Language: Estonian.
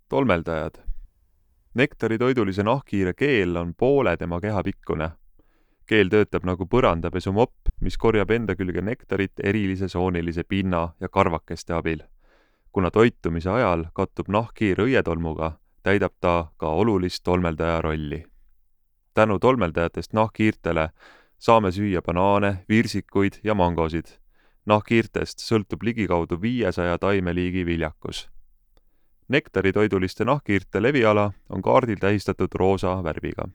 Tolmeldajad. Nektaritoidulise nahkhiire keel on poole tema keha pikkune. Keel töötab nagu põrandapesumopp, mis korjab enda külge nektarit erilise soonilise pinna ja karvakeste abil. Kuna toitumise ajal kattub nahkhiir õietolmuga, täidab ta ka olulist tolmeldaja rolli. Tänu tolmeldajatest nahkhiirtele saame süüa banaane, virsikuid ja mangosid. Nahkhiirtest sõltub ligikaudu 500 taimeliigi viljakus. Nektaritoiduliste nahkhiirte leviala on kaardil tähistatud roosa värviga.